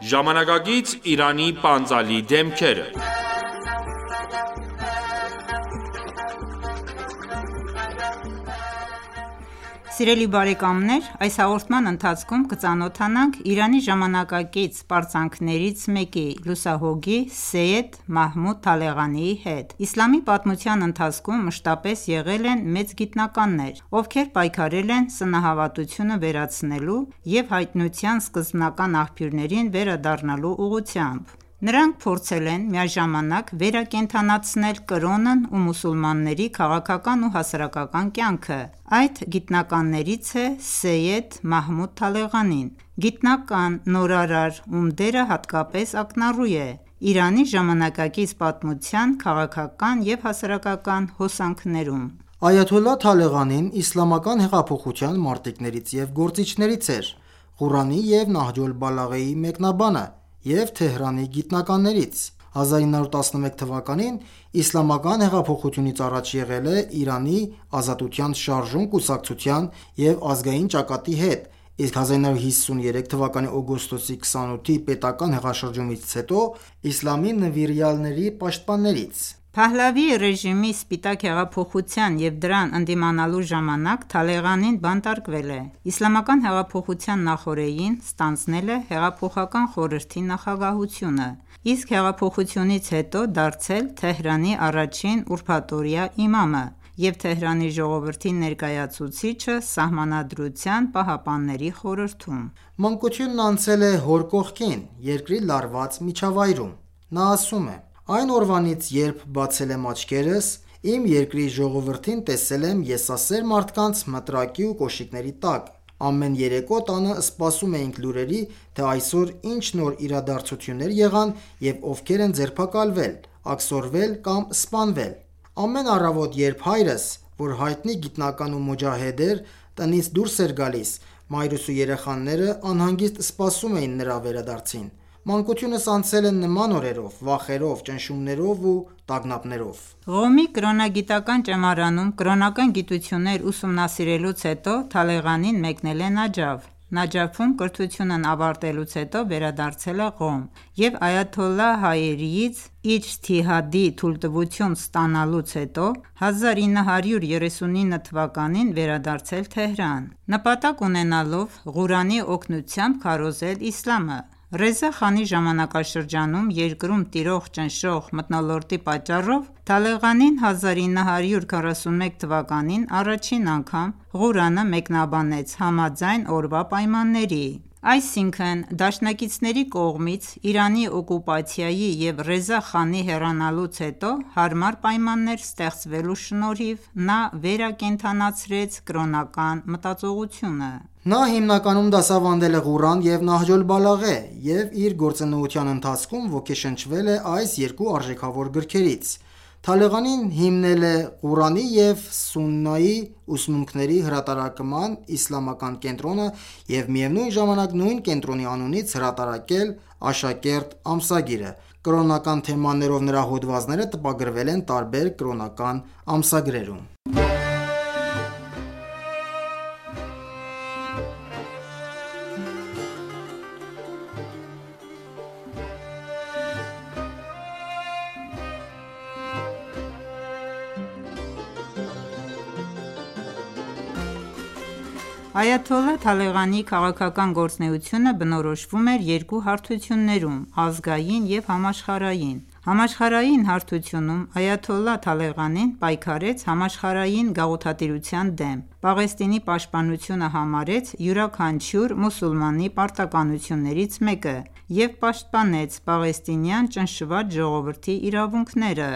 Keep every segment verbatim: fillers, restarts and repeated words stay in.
Ժամանակակից Իրանի պանծալի դեմքերը Սիրելի բարեկամներ, այս հաղորդման ընթացքում կծանոթանանք Իրանի ժամանակակից պարծանքներից մեկի՝ լուսահոգի Սեյեդ Մահմուդ Թալեղանիի հետ։ Իսլամի պատմության ընթացքում մշտապես եղել են մեծ գիտնականներ, ովքեր պայքարել են սնահավատությունը վերացնելու և հայտնության սկզբնական աղբյուրներին վերադառնալու ուղղությամբ։ Նրանք փորձել են միաժամանակ վերակենդանացնել կրոնն ու մուսուլմանների քաղաքական ու հասարակական կյանքը։ Այդ գիտնականներից է Սեյեդ Մահմուդ Թալեղանին, գիտնական, նորարար, ում դերը հատկապես ակնառու է Իրանի ժամանակակից պատմության քաղաքական և հասարակական հոսանքներում։ Այաթոլլահ Թալեղանին իսլամական հեղափոխության մարտիկներից և գործիչներից էր, Ղուրանի և Նահջ օլ-Բալաղեի մեկնաբանը և Թեհրանի գիտնականներից։ հազար ինը հարյուր տասնմեկ թվականին իսլամական հեղափոխությունից առաջ եղել է Իրանի Ազատության շարժում կուսակցության և ազգային ճակատի հետ, իսկ հազար ինը հարյուր հիսուներեք թվականի օգոստոսի քսանութի պետական հեղաշրջումից հետո իսլամի նվիրյալների պաշտպաններից։ Փահլավի ռեժիմի սպիտակ հեղափոխության և դրան ընդդիմանալու ժամանակ Թալեղանին բանտարկվել է։ Իսլամական հեղափոխության նախօրեին ստանձնել է հեղափոխական խորհրդի նախագահությունը, իսկ հեղափոխությունից հետո դարձել Թեհրանի առաջին ուրբաթօրյա իմամը և Թեհրանի ժողովրդի ներկայացուցիչը Սահմանադրության պահապանների խորհրդում։ Մանկությունն անցել է հոր կողքին՝ երկրի լարված միջավայրում։ Նա ասում է. «Այն օրվանից, երբ բացել եմ աչքերս, իմ երկրի ժողովրդին տեսել եմ եսասեր մարդկանց մտրակի ու կոշիկների տակ։ Ամեն երեկո տանը սպասում էինք լուրերի, թե այսօր ինչ նոր իրադարձություններ եղան և ովքեր են ձերբակալվել, աքսորվել կամ սպանվել։ Ամեն առավոտ, երբ հայրս, որ հայտնի գիտնական ու մոջահեդ էր, տնից դուրս էր գալիս, մայրս ու երեխաները անհանգիստ սպասում էին նրա վերադարձին։ Մանկությունս անցել է նման օրերով, վախերով, ճնշումներով ու տագնապներով»։ Ղոմի կրոնագիտական ճեմարանում կրոնական գիտություններ ուսումնասիրելուց հետո Թալեղանին մեկնել է Նաջաֆ։ Նաջաֆում կրթությունն ավարտելուց հետո վերադարձել է Ղոմ և այաթոլլահ Հայերիից իջթիհադի թույլտվություն ստանալուց հետո հազար ինը հարյուր երեսունինը թվականին վերադարձել Թեհրան՝ նպատակ ունենալով Ղուրանի օգնությամբ քարոզել իսլամը։ Ռեզա խանի ժամանակաշրջանում երկրում տիրող ճնշող մթնոլորտի պատճառով Թալեղանին հազար ինը հարյուր քառասունմեկ թվականին առաջին անգամ Ղուրանը մեկնաբանեց համաձայն օրվա պայմանների։ Այսինքն՝ դաշնակիցների կողմից Իրանի օկուպացիայի և Ռեզա խանի հեռանալուց հետո հարմար պայմաններ ստեղծվելու շնորհիվ նա վերակենդանացրեց կրոնական մտածողությունը։ Նա հիմնականում դասավանդել է Ղուրան և Նահջ օլ-Բալաղե և իր գործունեության ընթացքում ոգեշնչվել է այս երկու արժեքավոր գրքերից։ Թալեղանին հիմնել է Ղուրանի և Սուննայի ուսմունքների հրատարակման իսլամական կենտրոնը և միևնույն ժամանակ նույն կենտրոնի անունից հրատարակել «Աշակերտ» ամսագիրը։ Կրոնական թեմաներով նրա հոդվածները տպագրվել են տարբեր կրոնական ամսագրերում։ Այաթոլլահ Թալեղանիի քաղաքական գործունեությունը բնորոշվում էր երկու հարթություններում՝ ազգային և համաշխարհային։ Համաշխարհային հարթությունում այաթոլլահ Թալեղանին պայքարեց համաշխարհային գաղութատիրության դեմ, Պաղեստինի պաշտպանությունը համարեց յուրաքանչյուր մուսուլմանի պարտականություններից մեկը և պաշտպանեց պաղեստինյան ճնշված ժողովրդի իրավունքները։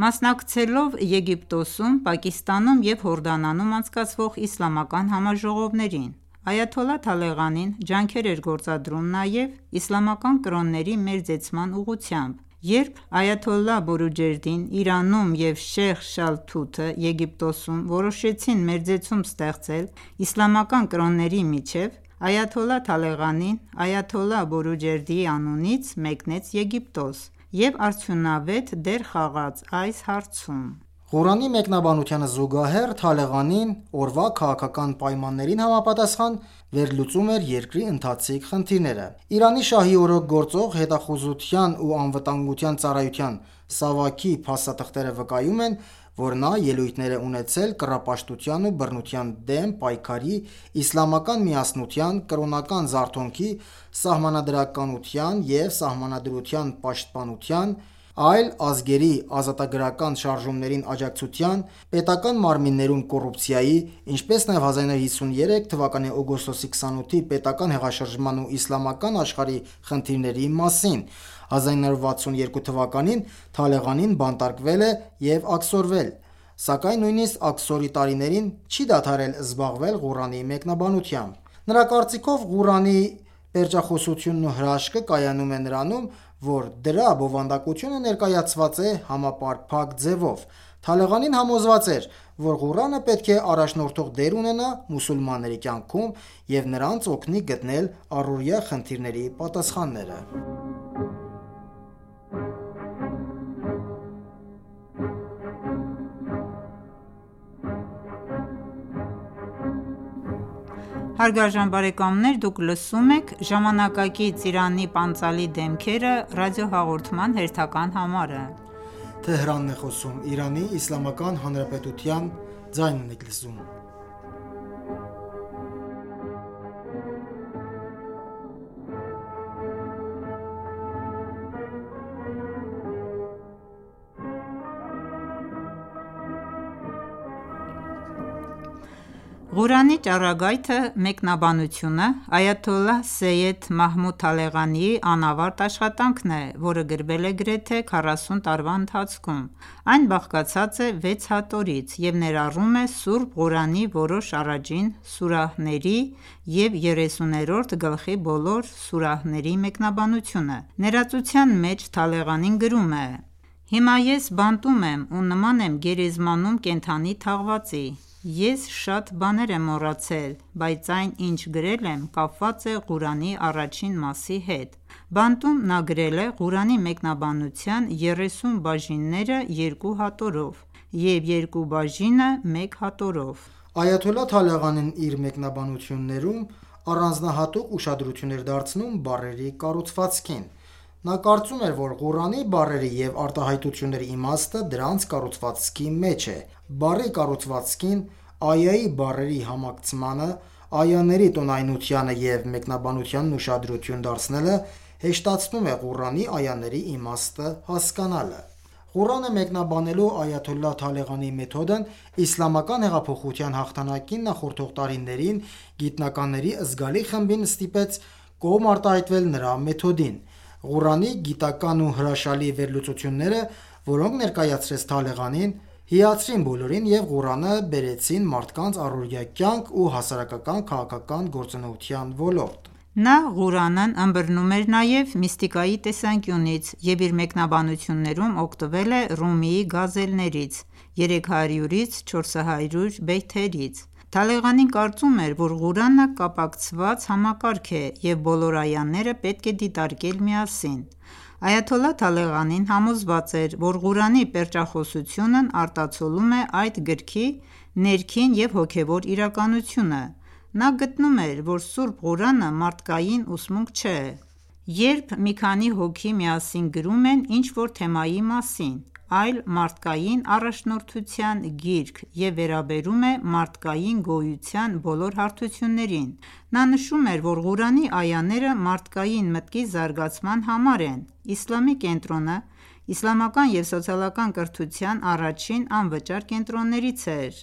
Մասնակցելով Եգիպտոսում, Պակիստանում և Հորդանանում անցկացվող իսլամական համաժողովներին, այաթոլլահ Թալեղանին ջանքեր էր գործադրում նաև իսլամական կրոնների մերձեցման ուղղությամբ։ Երբ այաթոլլահ Բորուջերդին Իրանում և Շեյխ Շալթութը Եգիպտոսում որոշեցին մերձեցում ստեղծել իսլամական կրոնների միջև, այաթոլլահ Թալեղանին այաթոլլահ Բորուջերդիի անունից մեկնեց Եգիպտոս և արդյունավետ դեր խաղաց այս հարցում։ Ղուրանի մեկնաբանությանը զուգահեռ Թալեղանին օրվա քաղաքական պայմաններին համապատասխան վերլուծում էր երկրի ընթացիկ խնդիրները։ Իրանի շահի օրոք գործող հետախուզության ու անվտանգության ծառայության Սավաքի փաստաթղթերը վկայում են, որ նա ելույթներ է ունեցել կռապաշտության ու բռնության դեմ պայքարի, իսլամական միասնության, կրոնական զարթոնքի, սահմանադրականության և սահմանադրության պաշտպանության, այլ ազգերի ազատագրական շարժումներին աջակցության, պետական մարմիններում կոռուպցիայի, ինչպես նաև հազար նոր հիսուներեք թվականի օգոստոսի քսանութի պետական հեղաշրջման ու իսլամական աշխարհի խնդիրների մասին։ հազար նոր վաթսունյոթ թվականին Թալեղանին բանտարկվել է և աքսորվել, սակայն նույնիսկ աքսորի տարիներին չի դադարել զբաղվել Ղուրանի մեկնաբանությամբ։ Նրա կարծիքով Ղուրանի պերճախոսությունն ու հրաշքը կայանում է նրանում, որ դրա բովանդակությունը ներկայացված է համապարփակ ձևով։ Թալեղանին համոզված էր, որ Ղուրանը պետք է առաջնորդող դեր ունենա մուսուլմանների կյանքում և նրանց օգնի գտնել առօրյա խնդիրների պատասխանները։ Հարգարժան բարեկամներ, դուք լսում եք «Ժամանակակից Իրանի պանծալի դեմքերը» ռադիոհաղորդման հերթական համարը։ Ղուրանի ճառագայթը մեկնաբանությունը այաթոլլահ Սեյյեդ Մահմուդ Թալեղանիի անավարտ աշխատանքն է, որը գրվել է գրեթե քառասուն տարվա ընթացքում։ Այն բաղկացած է վեց հատորից և ներառում է Սուրբ Ղուրանի որոշ առաջին սուրահների և երեսուներորդ գլխի բոլոր սուրահների մեկնաբանությունը։ Ներածության մեջ Թալեղանին գրում է. «Հիմա ես բանտում եմ ու նման եմ գերեզմանում կենդանի թաղվածի։ Ես շատ բաներ եմ մոռացել, բայց այն, ինչ գրել եմ, կապված է Ղուրանի առաջին մասի հետ»։ Բանտում նա գրել է Ղուրանի մեկնաբանության երեսուն բաժինները երկու հատորով և երկու բաժինը մեկ հատորով։ Այաթոլլահ Թալեղանին իր մեկնաբանություններում առանձնահատուկ ուշադրություն էր դարձնում բառերի կառուցվածքին։ Նա կարծում էր, որ Ղուրանի բառերի և արտահայտությունների իմաստը դրանց կառուցվածքի մեջ է։ Բառի կառուցվածքին, այայի բառերի համակցմանը, այաների տոնայնությանը և մեկնաբանությանն ուշադրություն դարձնելը հեշտացնում է Ղուրանի այաների իմաստը հասկանալը։ Ղուրանը մեկնաբանելու այաթոլլահ Թալեղանիի մեթոդն իսլամական հեղափոխության հաղթանակին նախորդող տարիներին գիտնականների զգալի խմբին ստիպեց կողմ արտահայտվել նրա մեթոդին։ Ղուրանի գիտական ու հրաշալի վերլուծությունները, որոնք ներկայացրեց Թալեղանին, հիացրին բոլորին և Ղուրանը բերեցին մարդկանց առօրյա կյանք ու հասարակական քաղաքական գործունեության ոլորտ։ Նա Ղուրանն ըմբռնում էր նաև միստիկայի տեսանկյունից և իր մեկնաբանություններում օգտվել է Ռումիի գազելներից, երեք հարյուրից չորս հարյուր բեյթերից։ Թալեղանին կարծում էր, որ Ղուրանը կապակցված համակարգ է և բոլոր այաները պետք է դիտարկել միասին։ Այաթոլլահ Թալեղանին համոզված էր, որ Ղուրանի պերճախոսությունն արտացոլում է այդ գրքի ներքին և հոգևոր իրականությունը։ Նա գտնում էր, որ Սուրբ Ղուրանը մարդկային ուսմունք չէ։ Երբ մի քանի հոգի միասին գրում են ինչ-որ թեմայի մասին, այլ մարդկային առաջնորդության գիրք և վերաբերում է մարդկային գոյության բոլոր հարթություններին։ Նա նշում էր, որ Ղուրանի այաները մարդկային մտքի զարգացման համար են։ Իսլամի կենտրոնը իսլամական և սոցիալական կրթության առաջին անվճար կենտրոններից էր,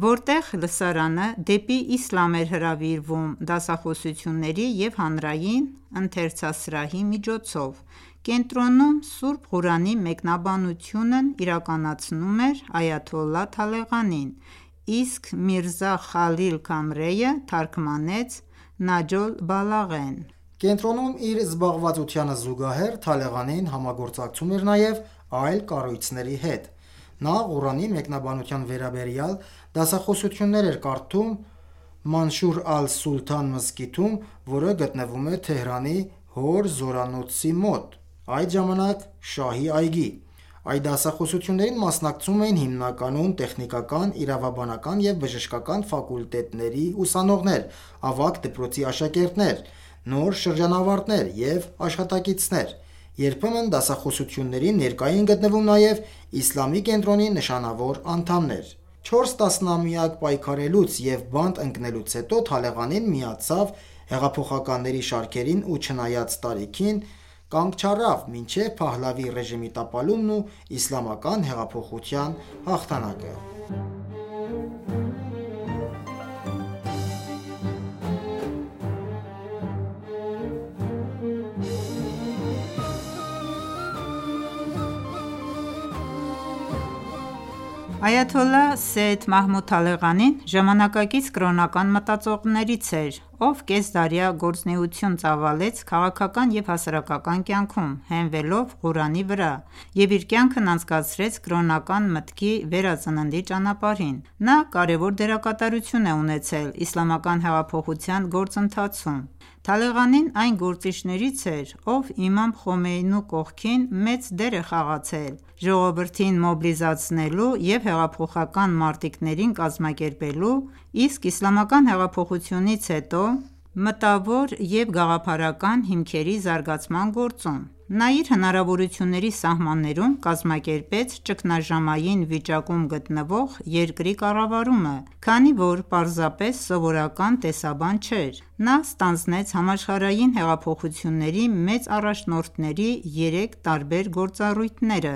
որտեղ լսարանը դեպի իսլամ էր հրավիրվում դասախոսությունների և հանրային ընթերցասրահի միջոցով։ Կենտրոնում Սուրբ Ղուրանի մեկնաբանությունն իրականացնում էր այաթոլլահ Թալեղանին, իսկ Միրզա Խալիլ Քամրեյը թարգմանեց Նահջ օլ-Բալաղեն։ Կենտրոնում իր զբաղվածությանը զուգահեռ Թալեղանին համագործակցում էր նաև այլ կառույցների հետ։ Նա Ղուրանի մեկնաբանության վերաբերյալ դասախոսություններ էր կարդում Մանշուր ալ-Սուլթան մզկիթում, որը գտնվում է Թեհրանի Հոր զորանոցի մոտ, այդ ժամանակ Շահի այգի։ Այդ դասախոսություններին մասնակցում էին հիմնականում տեխնիկական, իրավաբանական և բժշկական ֆակուլտետների ուսանողներ, ավագ դպրոցի աշակերտներ, նոր շրջանավարտներ և աշխատակիցներ: Երբեմն դասախոսություններին ներկա էին գտնվում նաև իսլամի կենտրոնի նշանավոր անդամներ: Չորս տասնամյակ պայքարելուց և բանտ ընկնելուց հետո Թալեղանին միացավ հեղափոխականների շարքերին ու չնայած տարիքին, կանգ չառավ մինչև Փահլավի ռեժիմի տապալումն ու իսլամական հեղափոխության հաղթանակը: Այաթոլլահ Սեյյեդ Մահմուդ Թալեղանին ժամանակակից կրոնական մտածողներից էր, ով կեսդարյա գործունեություն ծավալեց քաղաքական և հասարակական կյանքում, հենվելով Ղուրանի վրա և իր կյանքն անցկացրեց կրոնական մտքի վերածննդի ճանապարհին: Նա կարևոր դերակատարություն է ունեցել իսլամական հեղափոխության գործընթացում: Թալեղանին այն գործիչներից էր, ով իմամ Խոմեյնու կողքին մեծ դեր է խաղացել ժողովրդին մոբիլիզացնելու և հեղափոխական մարտիկներին կազմակերպելու, իսկ իսլամական հեղափոխությունից հետո մտավոր և գաղափարական հիմքերի զարգացման գործում: Նա իր հնարավորությունների սահմաններում կազմակերպեց ճգնաժամային վիճակում գտնվող երկրի կառավարումը, քանի որ պարզապես սովորական տեսաբան չէր: Նա ստանձնեց համաշխարհային հեղափոխությունների մեծ առաջնորդների երեք տարբեր գործառույթները,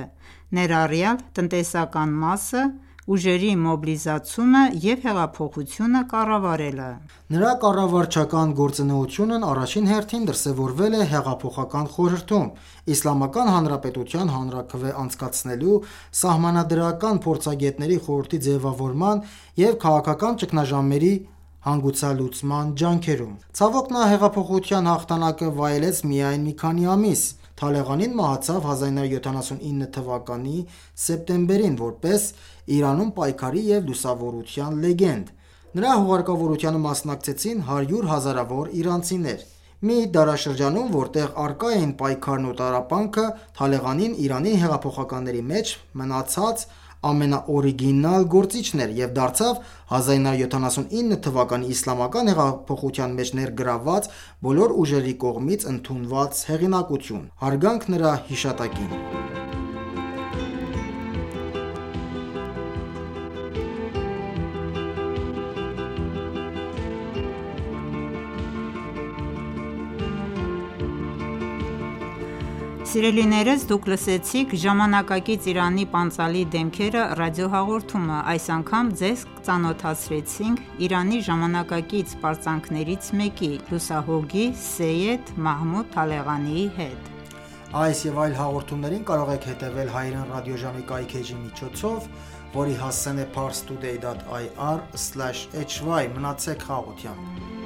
ներառյալ տնտեսական մասը, ուժերի մոբիլիզացումը և հեղափոխությունը կառավարելը: Նրա կառավարչական գործունեությունն առաջին հերթին դրսևորվել է Հեղափոխական խորհրդում, Իսլամական Հանրապետության հանրաքվե անցկացնելու Սահմանադրական փորձագետների խորհրդի ձևավորման և քաղաքական ճգնաժամերի հանգուցալուծման ջանքերում: Ցավոք, նա հեղափոխության հաղթանակը վայելեց միայն մի քանի ամիս: Թալեղանին մահացավ հազար նույն հարյուր յոթանասունինը թվականի սեպտեմբերին, որպես Իրանում պայքարի և լուսավորության լեգենդ: Նրա հուղարկավորությանը մասնակցեցին հարյուր հազարավոր իրանցիներ: Մի դարաշրջանում, որտեղ առկա էին պայքարն ու տառապանքը, Թալեղանին Իրանի հեղափոխականների մեջ մնացած ամենաօրիգինալ գործիչն էր և դարձավ հազար նույն հարյուր յոթանասունինը թվականի իսլամական հեղափոխության մեջ ներգրավված բոլոր ուժերի կողմից ընդունված հեղինակություն: Հարգանք նրա հիշատակին: Սիրելիներս դուք լսեցիք «Ժամանակակից Իրանի պանծալի դեմքերը» ռադիոհաղորդումը: Այս անգամ ձեզ ծանոթացրեցինք Իրանի ժամանակակից պարծանքներից մեկի՝ լուսահոգի Սեյյեդ Մահմուդ Թալեղանիի հետ: Այս և այլ հաղորդումներին կարող եք հետևել հայրեն ռադիոժամի կայքէջի միջոցով, որի հասցեն է parstoday.ir/hy: Մնացեք խաղաղությամբ: